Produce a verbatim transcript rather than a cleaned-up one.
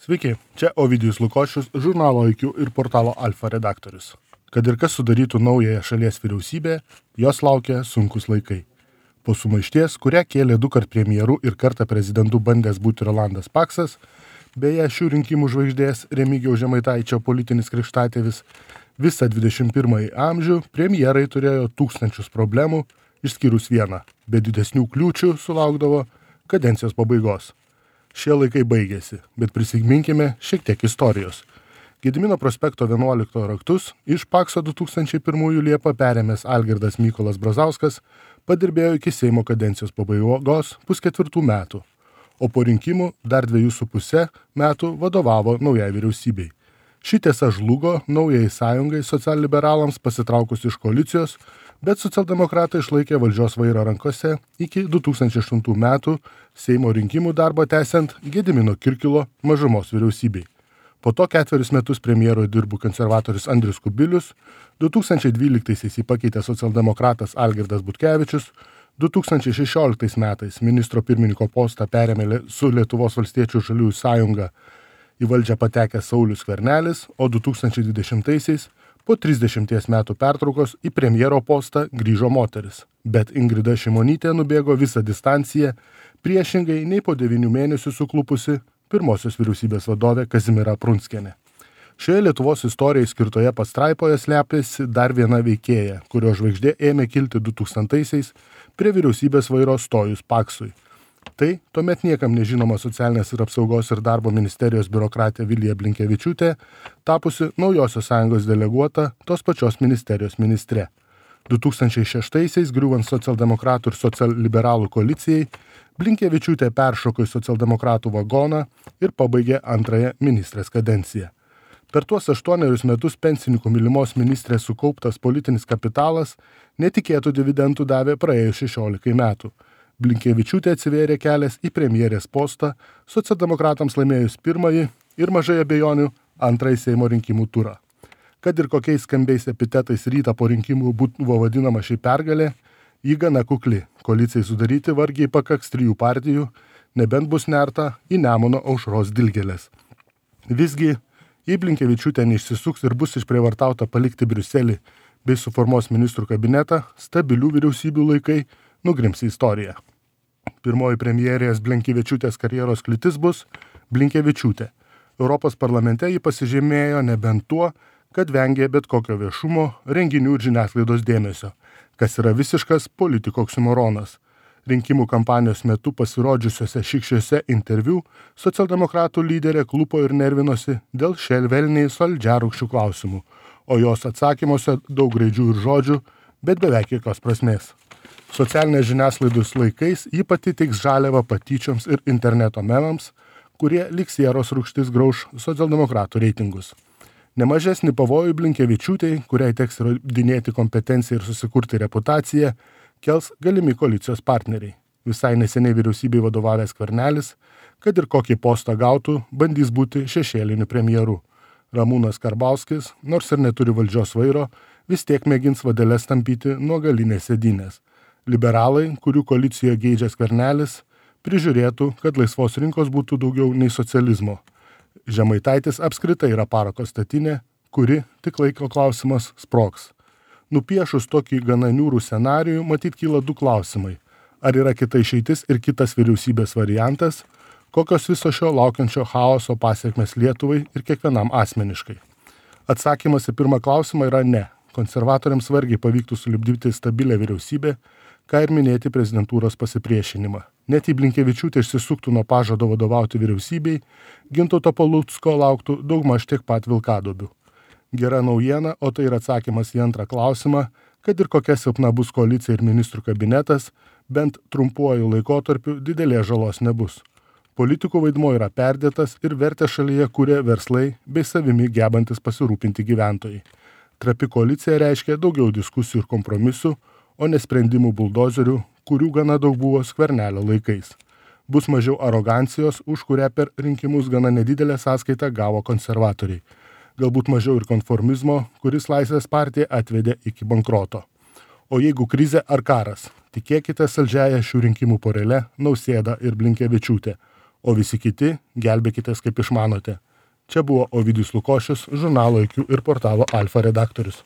Sveiki, čia Ovidijus Lukošius, žurnalo I Q ir portalo Alfa redaktorius. Kad ir kas sudarytų naująją šalies vyriausybę, jos laukia sunkus laikai. Po sumaišties, kurią kėlė du kart premjeru ir kartą prezidentu bandęs būti Rolandas Paksas, beje šių rinkimų žvaigždės Remigijaus Žemaitaičio politinis krikštatėvis, visą dvidešimt pirmąjį amžių premjerai turėjo tūkstančius problemų, išskyrus vieną, be didesnių kliūčių sulaukdavo kadencijos pabaigos. Šie laikai baigėsi, bet prisiminkime šiek tiek istorijos. Gedimino prospekto vienuolikto raktus iš Pakso du tūkstančiai pirmųjų Liepą perėmęs Algirdas Mykolas Brazauskas padirbėjo iki Seimo kadencijos pabaigos pusketvirtų metų, o po rinkimų dar dviejų su puse metų vadovavo naujai vyriausybei. Ši tiesa žlugo naujai sąjungai socialliberalams pasitraukus iš koalicijos, bet socialdemokratai išlaikė valdžios vairą rankose iki du tūkstančiai aštuntų metų Seimo rinkimų darbą tęsiant Gedimino Kirkilo mažumos vyriausybei. Po to ketverius metus premjero dirbo konservatorius Andrius Kubilius, du tūkstančiai dvyliktaisiais jį pakeitė socialdemokratas Algirdas Butkevičius, du tūkstančiai šešioliktais metais ministro pirmininko postą perėmė su Lietuvos valstiečių žaliųjų sąjunga į valdžią patekęs Saulius Skvernelis, o du tūkstančiai dvidešimtaisiais po trisdešimties metų pertraukos į premjero postą grįžo moteris. Bet Ingrida Šimonytė nubėgo visą distanciją, priešingai nei po devynių mėnesių suklupusi pirmosios vyriausybės vadovė Kazimiera Prunskienė. Šioje Lietuvos istorijai skirtoje pastraipoje slepiasi dar viena veikėja, kurio žvaigždė ėmė kilti du tūkstantaisiais prie vyriausybės vairo stojus Paksui. Tai tuomet niekam nežinoma socialinės ir apsaugos ir darbo ministerijos biurokratė Vilija Blinkevičiūtė, tapusi Naujosios sąjungos deleguota tos pačios ministerijos ministre. du tūkstančiai šeštaisiais griūvant socialdemokratų ir socialliberalų koalicijai, Blinkevičiūtė peršoko į socialdemokratų vagoną ir pabaigė antrąją ministrės kadenciją. Per tuos aštuonerius metus pensininkų mylimos ministrės sukauptas politinis kapitalas netikėtų dividendų davė praėjus šešiolikai metų. Blinkevičiūtė atsivėrė kelias į premjerės postą, socialdemokratams laimėjus pirmąjį ir mažai abejonių antrąjį Seimo rinkimų turą. Kad ir kokiais skambiais epitetais rytą po rinkimų buvo vadinama ši pergalė, ji gana kukli. Koalicijai sudaryti vargiai pakaks trijų partijų, nebent bus nerta į Nemuno aušros dilgėlės. Visgi, jei Blinkevičiūtė neišsisuks ir bus išprievartauta palikti Briuselį bei suformuos ministrų kabinetą, stabilių vyriausybių laikai nugrims į istoriją. Pirmoji premjerės Blinkevičiūtės karjeros kliūtis bus Blinkevičiūtė. Europos parlamente ji pasižymėjo nebent tuo, kad vengė bet kokio viešumo, renginių ir žiniasklaidos dėmesio, kas yra visiškas politiko oksimoronas. Rinkimų kampanijos metu pasirodžiusiuose šikščiuose interviu socialdemokratų lyderė klupo ir nervinosi dėl šelvelniai saldžiarūgščių klausimų, o jos atsakymuose daug graidžių ir žodžių, bet beveik jokios prasmės. Socialinės žiniasklaidos laikais ji pati teiks žaliavą patyčioms ir interneto memams, kurie lyg sieros rūgštis grauš socialdemokratų reitingus. Nemažesnį pavojų Blinkevičiūtei, kuriai teks įrodinėti kompetenciją ir susikurti reputaciją, kels galimi koalicijos partneriai. Visai neseniai vyriausybei vadovavęs Skvernelis, kad ir kokį postą gautų, bandys būti šešėliniu premjeru. Ramūnas Karbauskis, nors ir neturi valdžios vairo, vis tiek mėgins vadeles tampyti nuo galinės sėdynės. Liberalai, kurių koalicijoje geidžia Skvernelis, prižiūrėtų, kad laisvos rinkos būtų daugiau nei socializmo. Žemaitaitis apskritai yra parako statinė, kuri, tik laiko klausimas, sprogs. Nupiešus tokį gana niūrų scenarijų, matyt kyla du klausimai. Ar yra kita išeitis ir kitas vyriausybės variantas, kokios viso šio laukiančio chaoso pasiekmes Lietuvai ir kiekvienam asmeniškai? Atsakymas į pirmą klausimą yra ne. Konservatoriams vargiai pavyktų sulipdyti stabilę vyriausybę, ką ir minėti prezidentūros pasipriešinimą. Net jei Blinkevičiūtė išsisuktų nuo pažado vadovauti vyriausybei, Gintauto Palucko lauktų daugmaž tiek pat vilkaduobių. Gera naujiena, o tai yra atsakymas į antrą klausimą, kad ir kokia silpna bus koalicija ir ministrų kabinetas, bent trumpuoju laikotarpiu didelės žalos nebus. Politikų vaidmuo yra perdėtas ir vertę šalyje kuria verslai bei savimi gebantis pasirūpinti gyventojai. Trapi koalicija reiškia daugiau diskusijų ir kompromisų, o ne sprendimų buldozerių, kurių gana daug buvo Skvernelio laikais. Bus mažiau arogancijos, už kurią per rinkimus gana nedidelę sąskaitą gavo konservatoriai. Galbūt mažiau ir konformizmo, kuris Laisvės partiją atvedė iki bankroto. O jeigu krizė ar karas, tikėkite saldžiąją šių rinkimų porele Nausėdą ir Blinkevičiūtę, o visi kiti gelbėkitės kaip išmanote. Čia buvo Ovidijus Lukošius, žurnalo I Q ir portalo Alfa redaktorius.